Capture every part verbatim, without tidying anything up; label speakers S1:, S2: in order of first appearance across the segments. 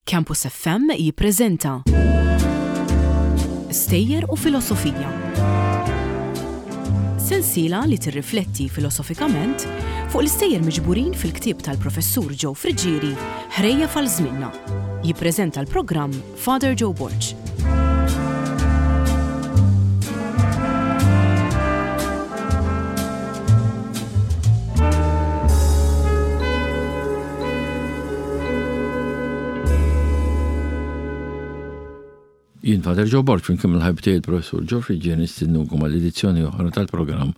S1: Campus F M jippreżenta Stejjer u Filosofija. Sensiela li tirrifletti filosofikament fuq l-istejjer miġburin fil-ktieb tal-professur Joe Friggieri, Ħrejjef għal Żmienna. Jippreżenta l-programm Father Joe Borg.
S2: Jien Father Joe Borg, flimkien mal-ħabib tiegħi il-professur Joe Friggieri, nistednukom għal edizzjoni oħra tal-programm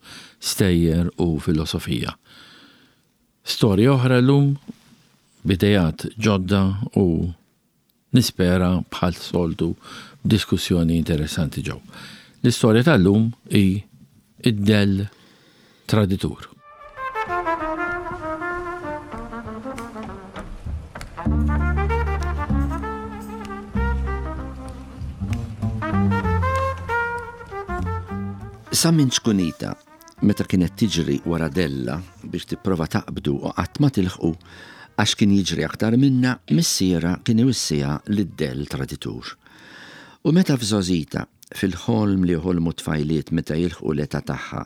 S2: Stejjer u Filosofija. Storja oħra llum, b'idejat ġodda u nispera bħal soltu diskussjoni interessanti ġew. L-istorja tal-lum hi id-dell traditur.
S3: Sa minn ċkunita, meta kienet tiġri wara della biex tipprova taqbdu u qatt ma tilħqu għax kien jiġri aktar minna, missiera kien iwissiha li d-dell traditur. U meta f'żgħożita, fil-ħolm li joħolmu tfajliet meta jilħqu l-età tagħha,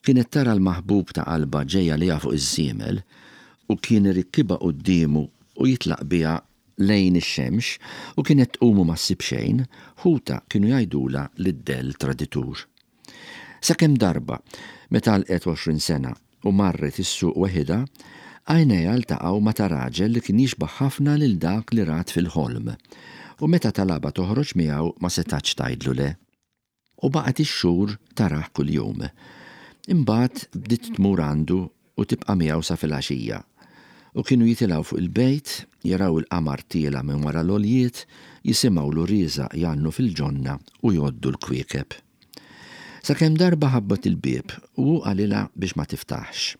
S3: kienet tara l-maħbub ta' qalbha ġej għaliha fuq iż-żiemel u kien irikkibha quddiemu u jitlaq biha lejn ix-xemx u kienet tqum u ma ssib xejn, ħutha kienu jgħidulha li d-dell traditur. Sakemm darba, meta għalqet għoxrin sena u marret is-suq weħidha, għajnejha ltaqgħu ma' ta' raġel li kien jixbah ħafna lil dak li rat fil-ħolm, u meta talabha toħroġ miegħu ma setgħetx tgħidlu le. U baqgħet ix-xhur tarah kuljum. Imbagħad bdiet tmur għandu u tibqa' miegħu sa filgħaxija. U kienu jitilgħu fuq il-bejt, jaraw il-qamar tiela' minn wara l-għoljiet, jisimgħu l-għurieżaq jgħannu fil-ġonna u jgħoddu l-kwiekeb. Sakemm darba ħabbat il-bieb u hu qalilha biex ma tiftaħx.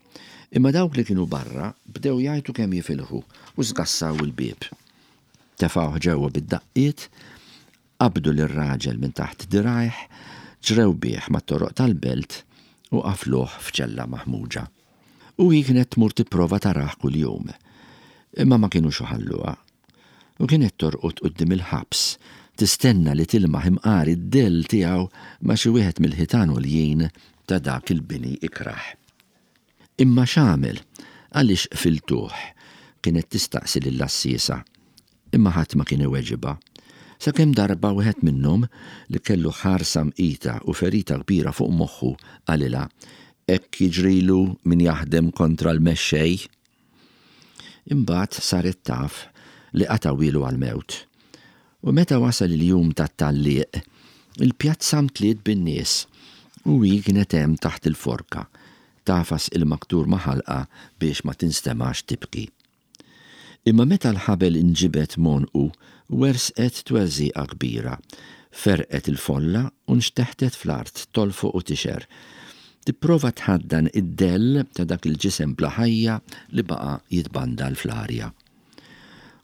S3: Imma dawk li kienu barra bdew jgħajtu kemm jifilħu u sgassaw il-bieb. Tefgħuh ġewwa bid-daqqiet, qabdu lir-raġel minn taħt dirgħajh, ġrew bih mat-toroq tal-belt u qafluh f'ċella maħmuġa. U hi kienet tmur tipprova tarah kuljum. Imma ma kinux iħalluha. U kienet torqod quddiem il-ħabs, tistenna li tilmaħ imqar id-dell tiegħu ma' xi wieħed mill-ħitan għoljin ta' dak il-bini ikrah. Imma x'għamel? Għaliex qfiltuh? Kienet tistaqsi lill-għassiesa. Imma ħadd ma kien iweġibha. Sakemm darba wieħed minnhom, li kellu ħarsa mqita u ferita kbira fuq moħħu, qalilha, Hekk jiġrilu min jaħdem kontra l-mexxej. Imbagħad saret taf li qatgħuhielu għall-mewt. U meta wasal il-jum tat-tgħalliq, il-pjazza mtliet bin-nies u hi kienet hemm taħt il-forka, tagħfas il-maktur ma' ħalqha biex ma tinstemax tibki. Imma meta l-ħabel inġibed m'għonqu, wersqet twerżiqa kbira, ferqet il-folla u nxteħtet fl-art tolfoq u tixher, tipprova tħaddan id-dell ta' dak il-ġisem bla ħajja li baqa' jitbandal fl-arja.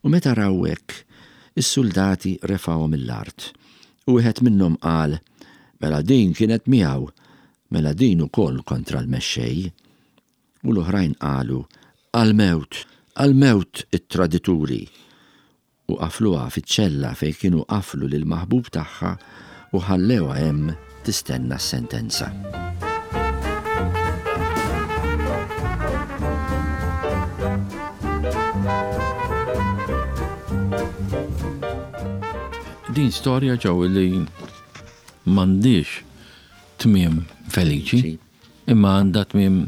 S3: U meta raw hekk, is-suldati refgħuhom mill-art. U wieħed minnhom qal, Mela din kienet miegħu, mela din ukoll kontra l-mexxej. U l-oħrajn qalu, Għall-mewt, għall-mewt it-tradituri. U qafluha fiċ-ċella fejn kienu qaflu lill-maħbub tagħha u ħallewha hemm tistenna s-sentenza.
S2: Din storja ġew li m'għandix tmiem feliċi, imma għandha tmiem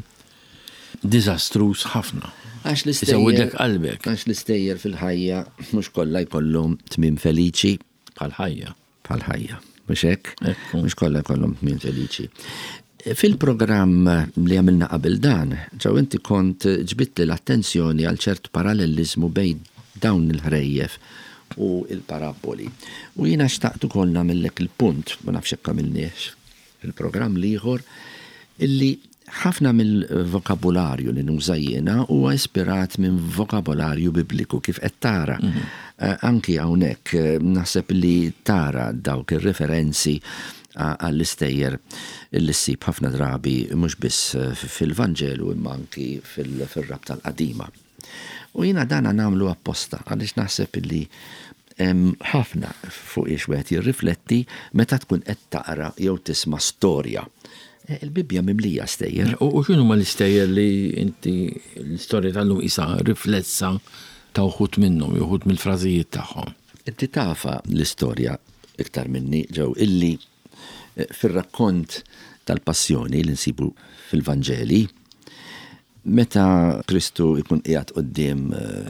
S2: diżastruż ħafna.
S3: Għax l-istejjer
S2: Isewwidlek qalbek.
S3: Għax l-istejjer fil-ħajja mhux kollha jkollhom tmiem feliċi.
S2: Bħal ħajja.
S3: Bħal ħajja, mhux hekk?
S2: Ekku.
S3: Mhux kollha jkollhom tmiem feliċi. Fil-programm li għamilna qabel dan, ġew inti kont ġbidtli l-attenzjoni għal ċert parallelizmu bejn dawn il-ħrejjef u il-paraboli. U jiena xtaqt ukoll nagħmellek il-punt, ma nafx hekk għamilniex fil-programm l-ieħor, illi ħafna mill-vokabularju li nuża jiena huwa ispirat minn vokabularju bibliku kif qed tara.
S2: Mhm.
S3: Eh, anki hawnhekk, eh, naħseb li tara dawk ir-referenzi għall-istejjer li ssib ħafna drabi mhux biss fil-Vanġelu imma anki fil-Rabta l-Qadima. U jiena dana nagħmlu apposta għaliex naħseb li Hemm ħafna fuq ix wieħed jirrifletti meta tkun qed taqra jew tisma' storja. Il-Bibbja mimlija stejjer.
S2: U x'inhu ma l-istejjer li inti l-istorja tal-lum isa riflessa ta' uħud minnhom, uħud mill-frażijiet tagħhom?
S3: Inti tafa l-istorja iktar minni ġew illi fir-rakkont tal-passjoni li nsibu fil-Vanġeli, meta Kristu jkun qiegħed quddiem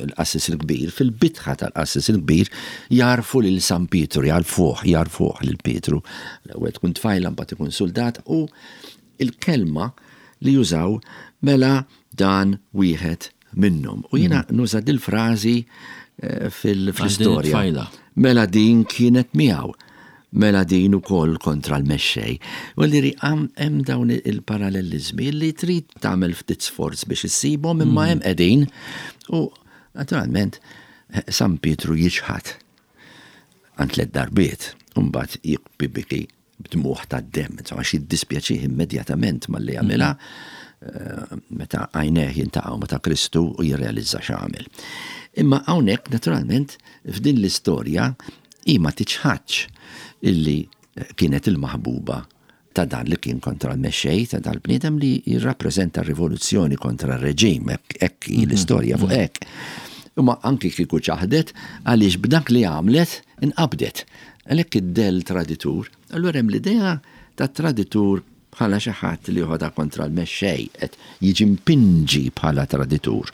S3: il-qassis il-kbir, fil-bitħa tal-qassis il-kbir jarfu lil San Pietru, jarfuh, jarfuh lil Pietru. L-ewwel tkun tfajla, mbagħad ikun soldat, u il-kelma li jużaw mela dan wieħed minnhom. U jiena nuża dil-frażi fil-istorja. Mela din kienet miegħu. Mela din ukoll kontra l-mexxej. U li hemm dawn il-parallelizmi li trid tagħmel ftit sforz biex issibhom, imma hemm qegħdin. U naturalment San Pietru jiġħad għand tliet darbiet, u mbagħad jibki biki b'dmuħ tad-demm, insomma għax jiddispjaċih immedjatament malli jagħmilha meta għajnejh jintaqgħu meta Kristu u jirrealizza x'għamel. Imma hawnhekk naturalment f'din l-istorja hi ma tiċħadx illi kienet il-maħbuba ta' dan li kien kontra l-mexxej, ta' dal-bniedem li jirrappreżenta r-rivoluzzjoni kontra r-reġim, hekk hi l-istorja fuq hekk. Imma anki kieku ċaħdet għaliex b'dak li għamlet inqabdet. Għalhekk id-del traditur, allura hemm l-idea ta' traditur bħala xi ħadd li joħodha kontra l-mexxej, qed jiġi mpinġi bħala traditur.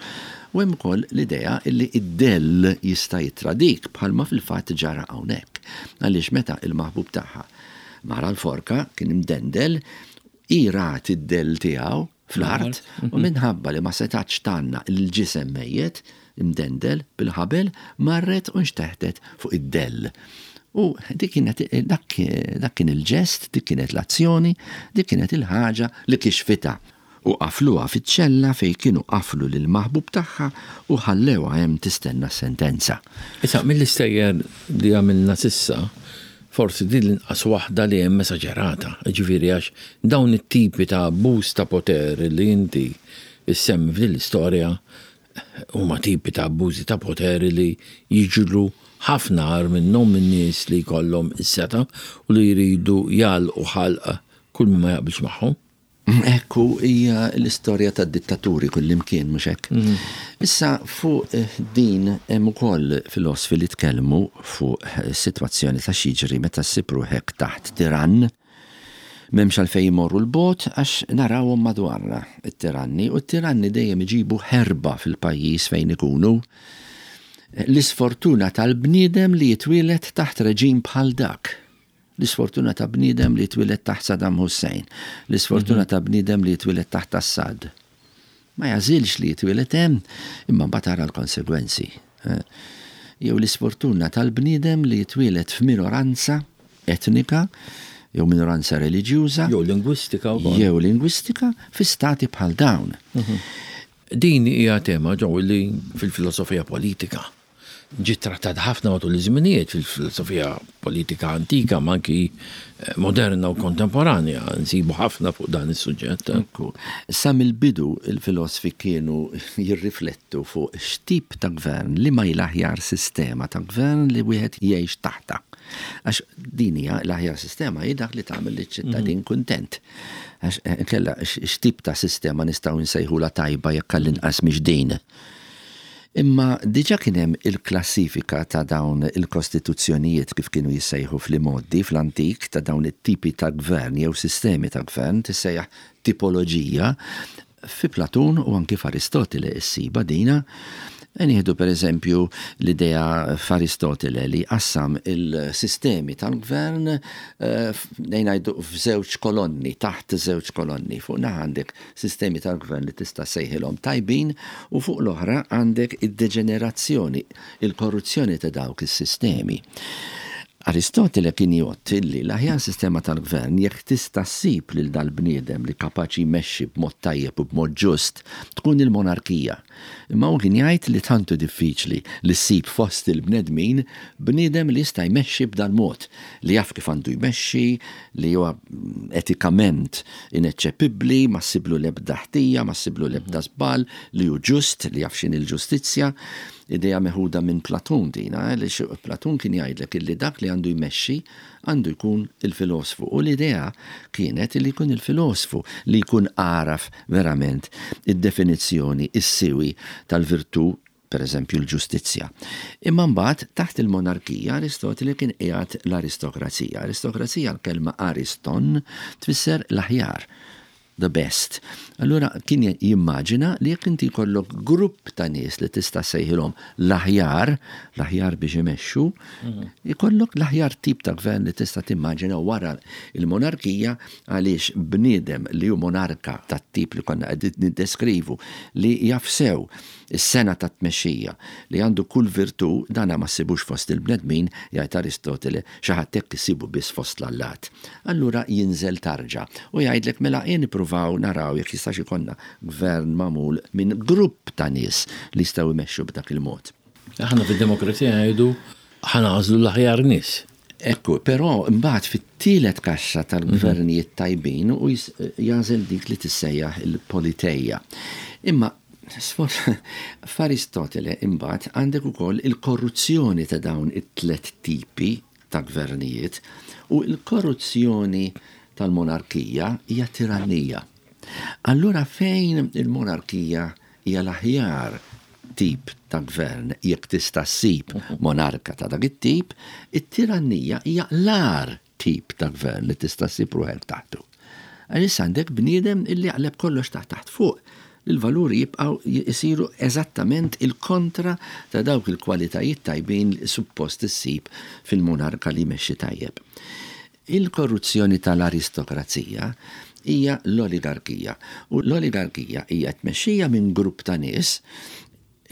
S3: U hemm ukoll l-idea illi id-dell jista' jittradik bħalma fil-fatt ġara hawnhekk. Għaliex meta il-maħbub tagħha mara l-forka kien imdendel, hi rat id-dell tiegħu fl-art u minħabba li ma setax tanna il-ġisem mejjet imdendel bil-ħabel marret u nxteħtet fuq id-dell. U dik kienet, dak, dak kien il-ġest, dik kienet l-azzjoni, dik kienet il-ħaġa li kixfitha. U qafluha fiċ-ċella fejn kienu qaflu lil maħbub tagħha u ħallewha hemm tistenna s-sentenza.
S2: Issa mill-istejjer li għamilna sissa, forsi din l-inqas waħda li hemm esaġerata, ġifieri għax dawn it-tipi ta' abbuż ta' poter li inti issemmi f'din l-istorja huma tipi ta' abbużi ta' poter li jiġru ħafna agħar minnhom minn nies li jkollhom is-seta' u li jridu jagħlqu ħalq kull min ma jaqbilx magħhom.
S3: Ekku, hija l-istorja tad-dittaturi kullimkien, mhux hekk? Issa fuq din hemm ukoll filosfi li tkellmu fuq is-sitwazzjoni ta' x'jiġri meta ssib ruħek taħt tirann. M'hemmx għalfejn imorru l-bogħod għax narawhom madwarna it-tiranni, u t-tiranni dejjem iġibu ħerba fil-pajjiż fejn ikunu. L-isfortuna tal-bniedem li jitwieled taħt reġim bħal dak. L-isfortuna ta' bniedem li jitwieled taħt Saddam Hussein, l-isfortuna ta' bniedem li jitwieled taħt Assad. Ma jażilx li jitwieled hemm, imma mbagħad tara l-konsegwenzi. Jew l-isfortuna tal-bniedem li jitwieled f'minoranza etnika, jew minoranza reliġjuża,
S2: jew lingwistika wkoll.
S3: Jew lingwistika fi stati bħal dawn.
S2: Din hija tema ġew li fil-filosofija politika ġiet trattat ħafna matul iż-żminijiet fil-filosofija politika antika, ma anki moderna u kontemporanja, nsibu ħafna fuq dan is-suġġett.
S3: Ekku. Sa mill-bidu il-filosofi kienu jirriflettu fuq x'tip ta' gvern, li ma l-aħjar sistema ta' gvern li wieħed jgħix taħta. Għax din hija l-aħjar sistema hi dak li tagħmel liċ-ċittadin kuntent. Għax kella x'tip ta' sistema nistgħu nsejħula tajba jekk għall-inqas mhix din. Imma diġa kien hemm il-klassifika ta' dawn il-kostituzzjonijiet kif kienu jissejħu fl-imoddi fl-antik ta' dawn it-tipi ta' gvern jew sistemi ta' gvern tissejjaħ tipoloġija fi Platun u anki f'Aristotile issiba dina. Nieħdu per eżempju l-idea f'Aristotile li qassam il-sistemi tal-gvern ngħidu f'żewġ kolonni, taħt żewġ kolonni. Fuq naħa għandek sistemi tal-gvern li tista' sejħilhom tajbin u fuq l-oħra għandek id-deġenerazzjoni, il-korruzzjoni ta' dawk is-sistemi. Aristotile kien jgħod li l-aħjar sistema tal-gvern jekk tista' ssib lil dal-bniedem li kapaċi jmexxi b'mod tajjeb u b'mod ġust tkun il-monarkija. Imma hu kien jgħid li tantu diffiċli li ssib fost il-bnedmin bniedem li jista' jmexxi b'dal-mod, li jaf kif għandu jmexxi, li huwa etikament ineċċepibbli, ma ssiblu l-ebda ħtija, ma ssiblu l-ebda żball, li hu ġust, li jaf x'inhi l-ġustizzja. Idea meħuda minn Platun dina, li Platun kien jgħidlek illi dak li għandu jmexxi għandu jkun il-filosfu. U l-idea kienet illi jkun il-filosfu li jkun għaraf verament id-definizzjoni, is-siwi tal-virtù, per eżempju l-ġustizzja. Imma mbagħad taħt il-monarkija Aristotele kien qiegħed l-aristokrazija. Aristokrazija, l-kelma ariston tfisser l-aħjar, the best. Allura kien jimmaġina li jekk inti jkollok grupp ta' nies li tista' sejħilhom l-aħjar, l-aħjar biex imexxu, jkollok l-aħjar tip ta' gvern li tista' timmaġina wara il-monarkija, għaliex bniedem li hu monarka tat-tip li konna qed niddeskrivu, li jaf sew is-sengħa ta' tmexxija, li għandu kull virtù, dana ma ssibux fost il-bnedmin, jgħid Aristotele, xi ħadd hekk issibu biss fost l-allat. Allura jinżel tarġa u jgħidlek mela jien nippruvaw naraw jekk jistax ikollna gvern magħmul minn grupp ta' nies li jistgħu jmexxu b'dak il-mod.
S2: Aħna fid-demokrazija ngħidu ħa nagħżlu l-aħjar nies.
S3: Ekku, però mbagħad fit-tielet kaxxa tal-gvernijiet tajbin u jagħżel dik li tissejjaħ il-politeja. Imma f'Aristotele imbagħad għandek ukoll il-korruzzjoni ta' dawn it-tlet tipi ta' gvernijiet, u l-korruzzjoni tal-monarkija hija tirannija. Allura fejn il-monarkija hija l-aħjar tip ta' gvern, jekk tista' ssib monarka ta' dak it-tip, it-tirannija hija l-agħar tip ta' gvern li tista' ssib ruħek taħtu. Għalissa għandek bniedem illi jaqleb kollox taħt taħt fuq. Il-valuri jibqaw jisiru eżattament il-kontra ta' dawk il-kwalitajiet tajbin li suppost issib fil-monarka li jmexxi tajjeb. Il-korruzzjoni tal-aristokrazija hija l-oligarkija. U l-oligarkija hija tmexxija minn grupp ta' nies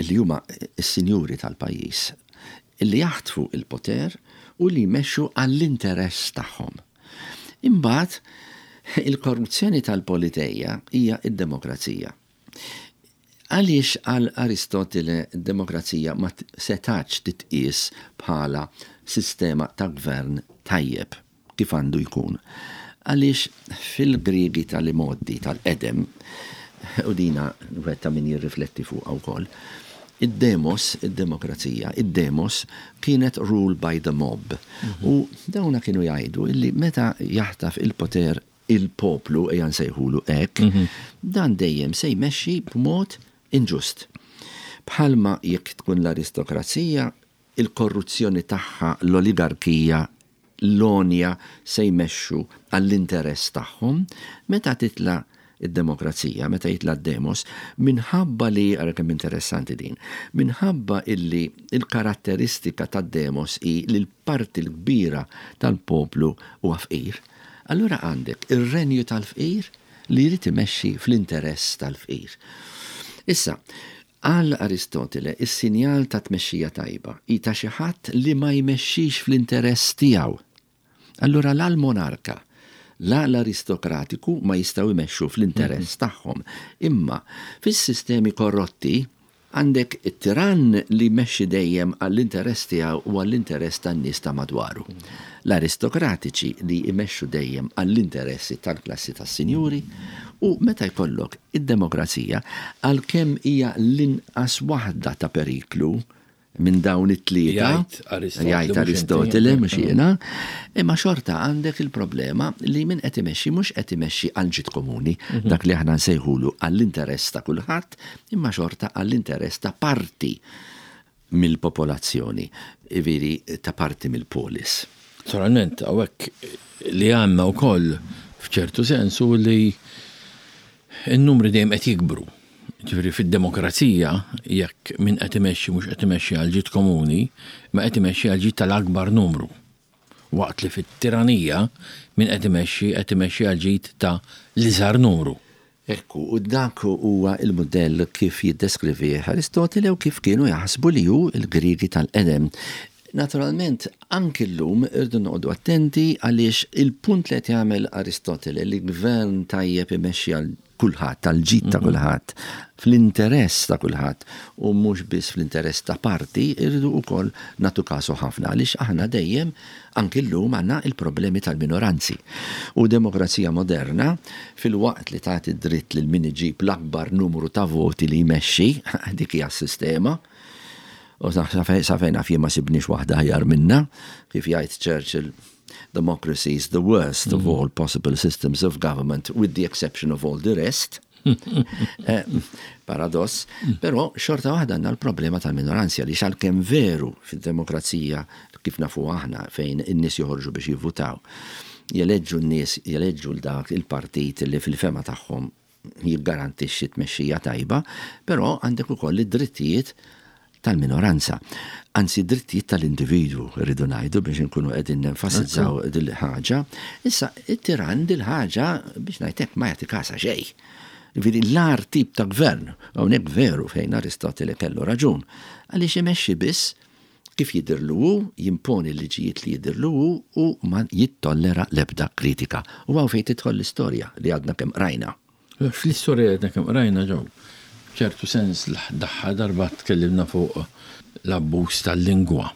S3: li huma s-sinjuri tal-pajjiż, illi jaħtfu il-poter u li jmexxu għall-interess tagħhom. Imbagħad il-korruzzjoni tal-politeja hija id-demokrazija. Għaliex għal Aristotele d-demokrazija ma setax titqies bħala sistema ta' gvern tajjeb kif għandu jkun? Għaliex fil-Griegi tal-imoddi tal-qedem, u dina wetta min jirrifletti fuq wkoll, id-demos, id-demokrazija, id-demos kienet rule by the mob. U dawna kienu jgħidu illi meta jaħtaf il-poter il-poplu, ejja nsejħulu hekk, dan dejjem se jmexxi b'mod inġust. Bħalma jekk tkun l-aristokrazija, il-korruzzjoni tagħha, l-oligarkija, l-onja se jmexxu għall-interess tagħhom, meta titla' id-demokrazija, meta jitla' d-demos, minħabba li, ara kemm interessanti din, minħabba illi il-karatteristika tad-demos hi li l-parti l-kbira tal-poplu huwa fqir, allura għandek ir-renju tal-fqir li jrid imexxi fl-interess tal-fqir. Issa, għal Aristotele, is-sinjal ta' tmexxija tajba hi ta' xi ħadd li ma jmexxix fl-interess tiegħu. Allura la l-monarka, la l-aristokratiku ma jistgħu jmexxu fl-interess tagħhom. Imma fis-sistemi korrotti għandek it-tirann li jmexxi dejjem għall-interess tiegħu u għall-interess tan-nies ta' madwaru. L-aristokratiċi li jmexxu dejjem għall-interessi tal-klassi tas-sinjuri, u meta jkollok id-demokrazija, għalkemm hija l-inqas waħda ta' periklu minn dawn it-tlieta,
S2: Jgħid Aristotele,
S3: jgħid
S2: mhux
S3: Aristotele,
S2: inti.
S3: mhux jiena, imma xorta għandek il-problema li min qed imexxi mhux qed imexxi għal ġid komuni,
S2: Mhm.
S3: dak li aħna nsejħulu għall-interess ta' kulħadd, imma xorta għall-interess ta' parti mill-popolazzjoni, iviri ta' parti mill-polis.
S2: Naturalment, hawnhekk li għandna wkoll f'ċertu sensu li n-numri dejjem qed jikbru. Ġifieri fid-demokrazija, jekk min qed imexxi mhux qed imexxi għal ġid komuni, ma qed imexxi għal ġid tal-akbar numru. Waqt li fit-tiranija min qed imexxi qed imexxi għal ġid ta' l-iżgħar numru.
S3: Ekku, u dak huwa il-modell kif jiddeskrivih Aristotele u kif kienu jaħsbu li hu il-Griegi tal-qedem. Naturalment, anki llum irdu noqogħdu attenti għaliex il-punt li qed jagħmel Aristotele li gvern tajjeb imexxi għal kulħadd, għal ġid ta'
S2: Mhm.
S3: kulħadd, fl-interess ta' kulħadd u mhux biss fl-interess ta' parti, irridu wkoll nagħtu kasu ħafna għaliex aħna dejjem anki llum għandna il-problemi tal-minoranzi. U demokrazija moderna fil-waqt li tagħti dritt lil min iġib l-akbar numru ta' voti li jmexxi, dik hija s-sistema, U sa fejn naf jien ma sibniex waħda aħjar minna, kif jgħid Churchill, "Democracy is the worst of all possible systems of government, with the exception of all the rest." Eh, paradoss, però xorta waħda għandna l-problema tal-minoranzja li għalkemm veru fil-demokrazija kif nafu aħna fejn in-nies joħorġu biex jivvutaw, jeleġġu n-nies, jeleġġu l-dak il-partit li fil-fehma tagħhom jiggarantixxi tmexxija tajba, però għandek ukoll id-drittijiet tal-minoranza. Anzi, drittijiet tal-individwu, rridu ngħidu biex nkunu qegħdin nenfasizzaw dil-ħaġa. Issa, it-tiran dil-ħaġa biex ngħidlek ma jagħti kasa xejn. Ġifieri l-agħar tip ta' gvern, hawnhekk veru fejn Aristotele kellu raġun, għaliex imexxi biss kif jidirlu hu, jimponi l-liġijiet li jidirlu hu u ma jittollera l-ebda kritika. U hawn fejn tidħol l-istorja li għadna kemm rajna.
S2: Fl-istorja li għadna kemm rajna ġew, ċertu sens l-aħħar darba tkellimna fuq l-abbuż tal-lingwa.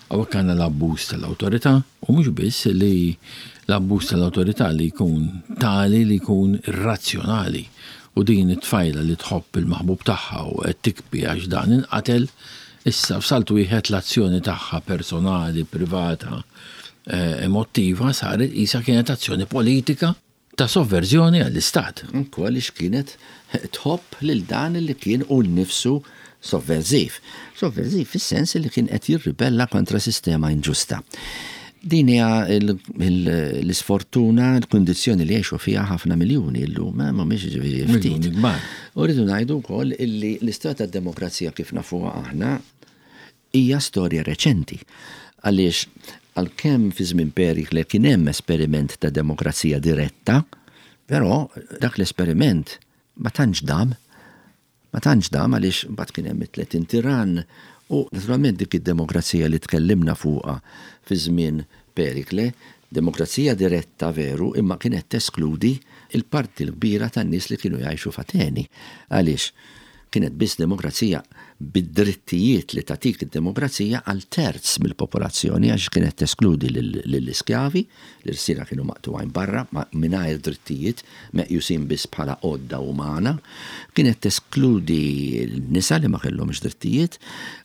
S2: Hawnhekk għandna l-abbuż tal-awtorità u mhux biss li l-abbuż tal-awtorità li jkun tali li jkun irrazzjonali. U din it-tfajla li tħobb il-maħbub tagħha u qed tibki għax dan inqatel, issa f'salt wieħed l-azzjoni tagħha personali, privata, eh, emotiva saret isa kienet azzjoni politika ta' sovverżjoni għall-istat.
S3: Anku għaliex kienet tħobb lil dan li kien hu nnifsu sovverżiv. Sovverżiv fis-sens li kien qed jirribella kontra sistema inġusta. Din hija l-isfortuna, l-kundizzjoni li jgħixu fiha ħafna miljuni llum, ma mhumiex ġifieri ftit.
S2: Miljuni kbar.
S3: U rridu ngħidu wkoll illi l-istorja tad-demokrazija kif nafuha aħna hija storja reċenti. Għaliex għalkemm fi żmien Perikle kien hemm esperiment ta' demokrazija diretta, però dak l-esperiment ma tantx dam. Ma tantx dam għaliex mbagħad kien hemm it-tletin tiran u naturalment dik id-demokrazija li tkellimna fuqha fi żmien Perikle, demokrazija diretta veru, imma kienet teskludi il-parti l-kbira tan-nies li kienu jgħixu f'Ateni. Għaliex kienet biss demokrazija bid-drittijiet li tatik id-demokrazija għal terz mill-popolazzjoni, għax kienet teskludi lill-iskjavi, l-irsira kienu maqtugħin barra, mingħajr drittijiet, meqjusin biss bħala għodda umana, kienet teskludi l-nisa li ma kellhomx drittijiet,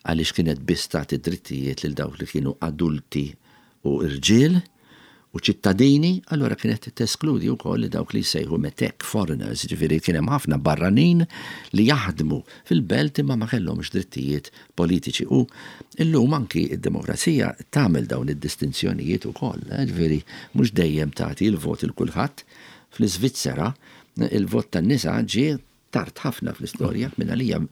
S3: għaliex kienet biss tagħti drittijiet lil dawk li kienu adulti u irġiel u ċittadini, allora kienet teskludi wkoll li dawk li jsejħu metek foreigners, ġifieri kien hemm ħafna barranin li jaħdmu fil-belt imma ma kellhomx drittijiet politiċi. U illum anki id-demokrazija tagħmel dawn id-distinzjonijiet ukoll, eh, ġifieri mhux dejjem tagħti l-vot il kulħadd. Fl-Iżvizzera il-vot tan-nisa ġie tard ħafna fl-istorja, minn għalija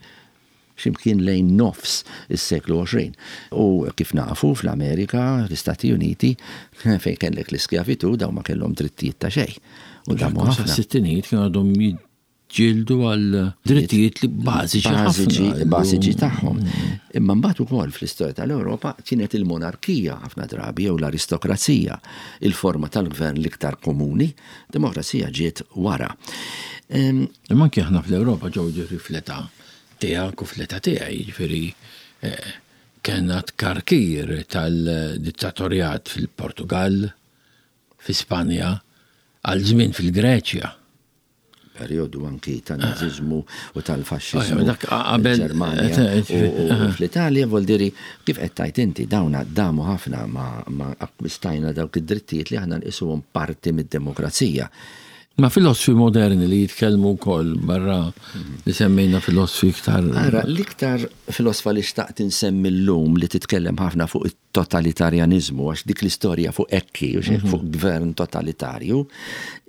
S3: ximkien lejn nofs is-seklu għoxrin. U kif nafu fl-Amerika, l-Istati Uniti, fejn kellek l-iskjavitu, daw ma kellhom drittijiet ta' xejn. U damu ħafna.
S2: Sittinijiet kienu għadhom jiġġieldu għal drittijiet li bażiċi
S3: Bażiċi,
S2: ħafna.
S3: bażiċi tagħhom. Imma mbagħad ukoll fl-istorja tal-Ewropa kienet il-monarkija ħafna drabi jew l-aristokrazija, il-forma tal-gvern l-iktar komuni, demokrazija ġiet wara. Em,
S2: Imma anke aħna fl-Ewropa ġew ġifieri fl-età tiegħek u fl-età tiegħi, ġifieri eh, kellna tkarkir tal-dittatorjat fil-Portugal, fi Spanja, għal żmien fil-Greċja.
S3: Periodu anki tan-naziżmu u tal-faxxiżmu.
S2: Ah, dak qabel-
S3: Ġermanja
S2: eh,
S3: u u fl-Italja, vol diri, kif qed tajt inti, dawna damu ħafna ma, ma akkwistajna dawk id-drittijiet li aħna nqisuhom parti mid-demokrazija.
S2: Ma filosfi moderni li jitkellmu wkoll barra li semmejna filosfi iktar.
S3: Ara, l-iktar filosfa li xtaqt insemmi llum li titkellem ħafna fuq it-totalitarjanizmu, għax dik l-istorja fuq ekki, u xek fuq gvern totalitarju,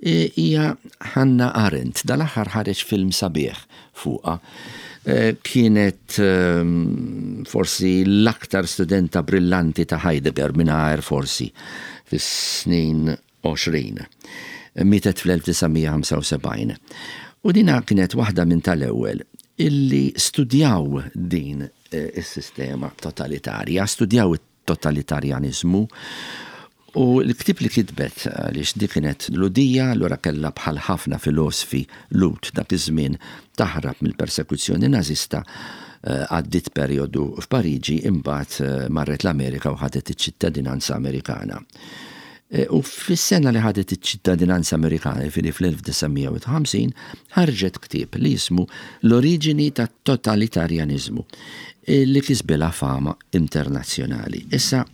S3: e, hija Hannah Arendt. Dal-aħħar ħareġ film sabiħ fuqha. E, kienet, ehm, forsi l-aktar studenta brillanti ta' Heidegger mingħajr forsi fis-snin għoxrin. Mietet fl-elf disa' mija ħamsa u sebgħin. U dina kienet waħda minn tal-ewwel illi studjaw din, eh, is-sistema totalitarja, studjaw it-totalitarjanizmu. U l-ktib li kitbet, għaliex di kienet Lhudija, allura kellha bħal ħafna filosfi Lhud dak iż-żmien taħrab mill-persekuzzjoni nażista, eh, għaddit perjodu f'Pariġi, imbagħad, eh, marret l-Amerika u ħadet iċ-ċittadinanza Amerikana. U fis-sena li ħadet iċ-ċittadinanza Amerikana, jiġifieri fl-elf disa' mija u ħamsin, ħarġet ktieb li jismu L-oriġini tat-totalitarjaniżmu, li kisbilha fama internazzjonali. Issa,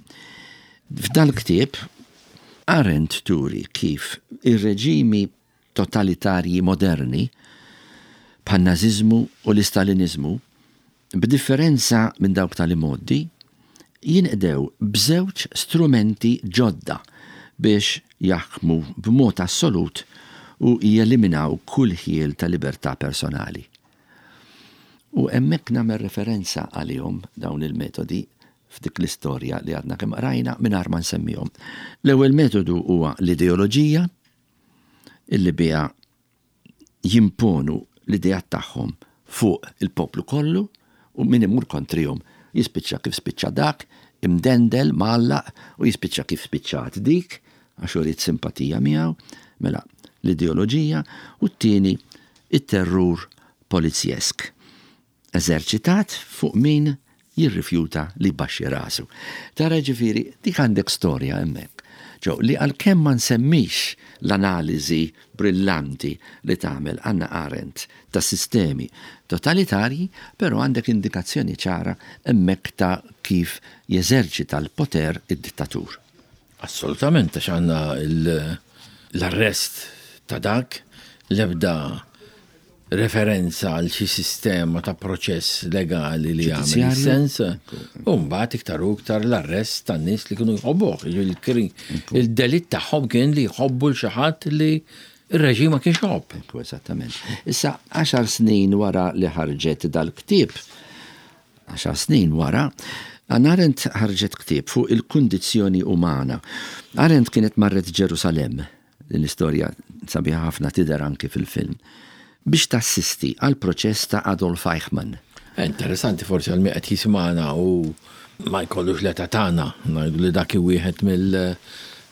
S3: f'dal-ktieb Arendt turi kif ir-reġimi totalitarji moderni bħan-naziżmu u l-istalinizmu, b'differenza minn dawk tal-imgħoddi, jinqdew b'żewġ strumenti ġodda biex jaħkmu b'mod assolut u jeliminaw kull ħjiel ta' libertà personali. U hemmhekk nagħmel referenza għalihom dawn il-metodi f'dik l-istorja li għadna kemm qrajna mingħajr ma nsemmihom. L-ewwel metodu huwa l-ideoloġija, illi biha jimponu l-idejat tagħhom fuq il-poplu kollu, u min imur kontrihom jispiċċa kif spiċċa dak, imdendel, mgħallaq, u jispiċċa kif spiċċat dik, għax uriet simpatija miegħu. Mela l-ideoloġija, u t-tieni it-terrur polizjesk eżerċitat fuq min jirrifjuta li jbaxxi rasu. Tara ġifieri, dik għandek storja hemmhekk. Ġo, li għalkemm ma nsemmix l-analiżi brillanti li tagħmel Anna Arendt ta' sistemi totalitarji, però għandek indikazzjoni ċara hemmhekk ta' kif jeżerċita l-poter id-dittatur.
S2: Assolutament, għax għandna l-arrest ta' dak, l-ebda referenza għal xi sistema ta' proċess legali li jagħmel sens, u mbagħad iktar u iktar l-arrest tan-nies li kienu jħobbuh. Il-delitt tagħhom kien li jħobbu l xi ħadd li ir-reġim ma kienx iħobb.
S3: Ekku, eżattament. Issa, għaxar snin wara li ħarġet dal-ktieb, għaxar snin wara, Anna Arendt ħarġet ktieb fuq il-kundizzjoni umana. Arendt kienet marret Ġerusalem, din l-istorja sabiħa ħafna, tidher anki fil-film, biex tassisti għal proċess ta' Adolf Eichmann.
S2: Interessanti forsi għal qed jismana u ma jkollux l-età tagħna, ngħidu li dak wieħed mill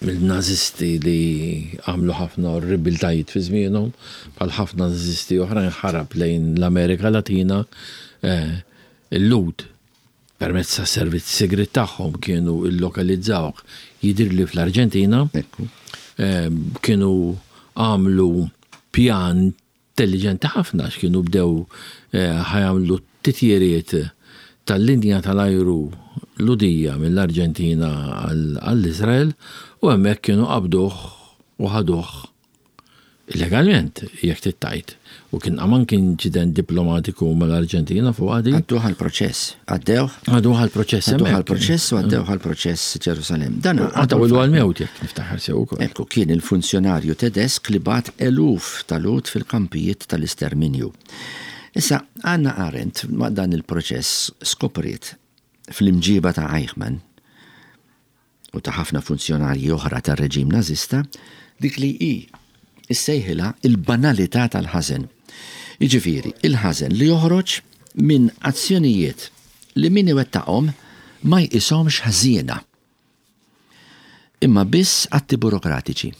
S2: mill-nazisti li għamlu ħafna orribiltajiet fi żmienhom, bħal ħafna nazisti oħrajn ħarab lejn l-Amerika Latina, eh, il-Lhud permezz ta' servizz segret tagħhom kienu illokalizzawh, jidhirli fl-Arġentina, eh, kienu għamlu pjan intelligenti ħafna, x'kienu bdew eh, ħa jagħmlu titjiriet tal-linja tal-ajru Lhudija mill-Arġentina għall-Izrael u hemmhekk kienu qabduh u ħaduh illegalment, jekk tittajt. U kien għaman kien inċident diplomatiku mal-Arġentina fuq għadi.
S3: Għadduh għal-proċess. Għaddew?
S2: Għadduh għal-proċess.
S3: Għadduh għal-proċess u għaddew għal-proċess Ġerusalem.
S2: Dan għaddew għal-mewt, jekk niftaħar sew ukoll.
S3: Ekku, kien il-funzjonarju Tedesk li bagħat eluf ta' Lhud fil-kampijiet tal-isterminju. Issa, Anna Arendt ma' dan il-proċess skopriet fl-imġiba ta' Eichmann u ta' ħafna funzjonarji oħra tar-reġim nazista dik li hi issejħilha il-banalità tal-ħażen. Jiġifieri, il-ħażen li joħroġ minn azzjonijiet li min iwettaqhom ma jqishomx ħżiena, imma biss atti burokratiċi.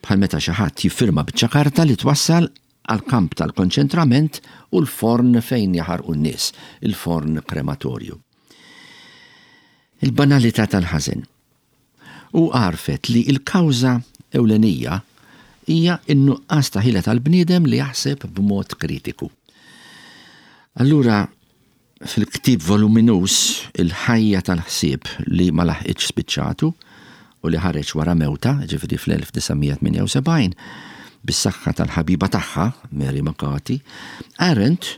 S3: Bħal meta xi ħadd jiffirma biċċa karta li twassal għal kamp tal-konċentrament u l-forn fejn jaħarqu n-nies, il-forn krematorju. Il-banalità tal-ħażen. U għarfet li il-kawża ewlenija hija n-nuqqas ta' ħila tal-bniedem li jaħseb b'mod kritiku. Allura, fil-ktib voluminus Il-ħajja tal-ħsieb, li ma laħqitx spiċċatu u li ħareġ wara mewta, ġifieri fl-elf disa' mija tmienja u sebgħin, bis-saħħa tal-ħabiba tagħha, Mary McCarthy, Arendt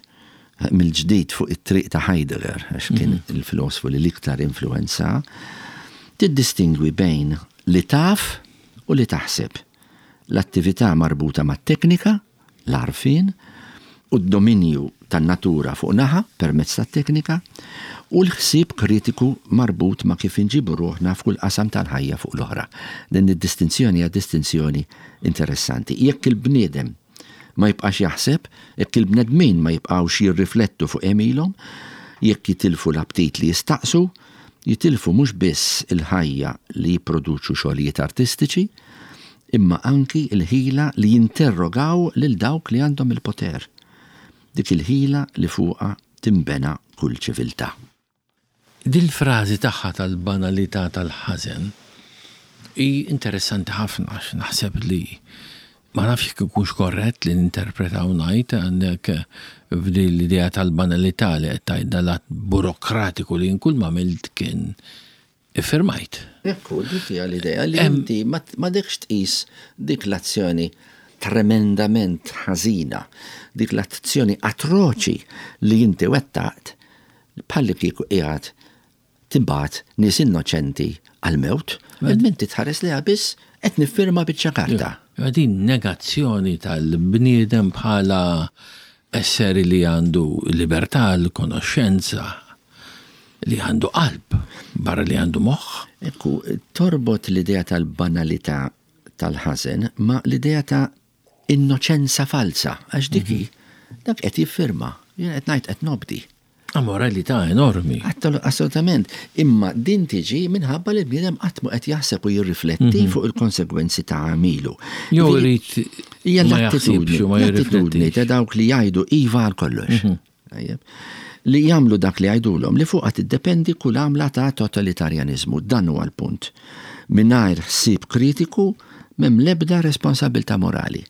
S3: mill-ġdid fuq it-triq ta' Heidegger, għax kien mhm. il-filosfu li l-iktar influenza, tiddistingwi bejn li taf u li taħseb. L-attività marbuta mat-teknika, l-għarfien, u d-dominju tan-natura fuq naħa permezz tat-teknika, u l-ħsieb kritiku marbut ma' kif inġibu ruħna f'kull qasam tal-ħajja fuq l-oħra. Din id-distinzjoni hija distinzjoni interessanti. Jekk il-bniedem ma jibqax jaħseb, jekk il-bnedmin ma jibqawx jirriflettu fuq għemilhom, jekk jitilfu l-aptit li jistaqsu, jitilfu mhux biss il-ħajja li jipproduċu xogħlijiet artistiċi, imma anki il-ħila li jinterrogaw lil dawk li għandhom il-poter. Dik il-ħila li fuqha timbena kull ċiviltà.
S2: Dil-frażi tagħha tal-banalità tal-ħażen Hi interessanti ħafna għax naħseb li ma nafx jekk ikunx korrett li ninterpretaw ngħid għandek f'din l-idea tal-banalità li qed tgħid dal-att burokratiku li kull ma għamilt kien iffirmajt.
S3: Ekku, dik hija l-idea li inti ma m'għadekx tqis dik l-azzjoni tremendament ħażina, dik l-azzjoni atroċi li inti wettaqt bħalli kieku qiegħed tibgħat nies innoċenti għal-mewt, inti tħares li biss qed niffirma biċċa karta.
S2: Din negazzjoni tal-bniedem bħala esseri li għandu libertà, l-konoxxenza, li għandu qalb, barra li għandu moħħ.
S3: Ekku, torbot l-idea tal-banalità tal-ħażen ma l-idea ta' innoċenza falsa, għax dik hi, dak qed jiffirma, jien qed ngħid qed nobdi.
S2: Amoralità enormi.
S3: Assolutament. Imma din tiġi minħabba li l-bniedem qatt mu qed jaħseb u jirrifletti fuq il-konsegwenzi ta' għamilu.
S2: Jew irid
S3: Hija
S2: ma jaħsibx u ma
S3: l-attitudni
S2: jirriflettix.
S3: ta' dawk li jgħidu iva għal kollox. Tajjeb. Li jagħmlu dak li jgħidulhom li fuqha tiddependi kull għamla ta' totalitarjanizmu. Dan huwa l-punt. Mingħajr ħsieb kritiku m'hemm l-ebda responsabilità morali.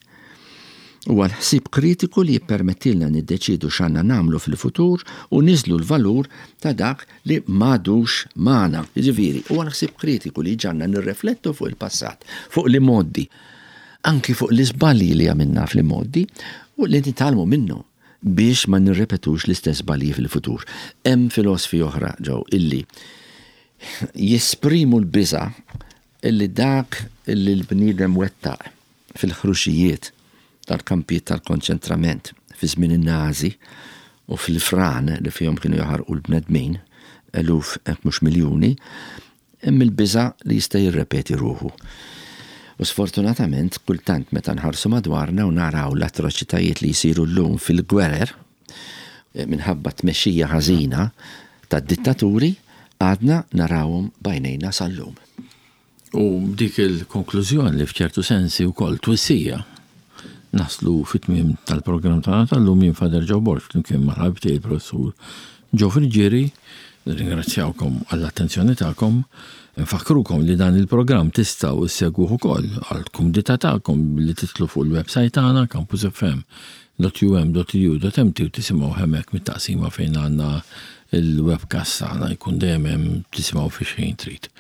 S3: Huwa l-ħsieb kritiku li jippermettilna niddeċidu x'għandna nagħmlu fil-futur u niżlu l-valur ta' dak li m'għadux magħna. Jiġifieri, huwa l-ħsieb kritiku li ġagħalna nirreflettu fuq il-passat, fuq l-imgħoddi, anki fuq l-iżbalji li għamilna fl-imgħoddi u li nitgħallmu minnu biex ma nirrepetux l-istess żbalji fil-futur. Hemm filosofi oħra ġew illi jesprimu l-biża illi dak illi l-bniedem wettaq fil-ħruxijiet tal-kampijiet tal-konċentrament fi żmien in-Nazi u fil-fran li fihom kienu jaħarqu l-bnedmin, eluf hekk mhux miljuni, hemm il-biża li jista' jirrepeti ruħu. U sfortunatament, kultant meta nħarsu madwarna u naraw l-atroċitajiet li jsiru llum fil-gwerer, eh, minħabba tmexxija ħażina tad-dittaturi, għadna narawhom b'għajnejna sal-lum.
S2: U dik il-konklużjoni li f'ċertu sensi wkoll twissija naslu fit-tmiem tal-programm tagħna tal-lum. Jien Father Joe Borg flimkien mal-ħabib tiegħi il-professur Joe Friggieri. Ringrazzjawkom għall-attenzjoni tagħkom. Nfakkrukom li dan il-programm tistgħu issegwuh ukoll għall-kumdità tagħkom li tidħlu fuq il-website tagħna campusfm dot U M dot E D U dot M T u tisimgħu hemmhekk mit-taqsima fejn għandna il-webcast tagħna, jkun dejjem hemm, tisimgħu fi xejn trid.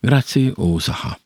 S2: Grazzi u saħħa.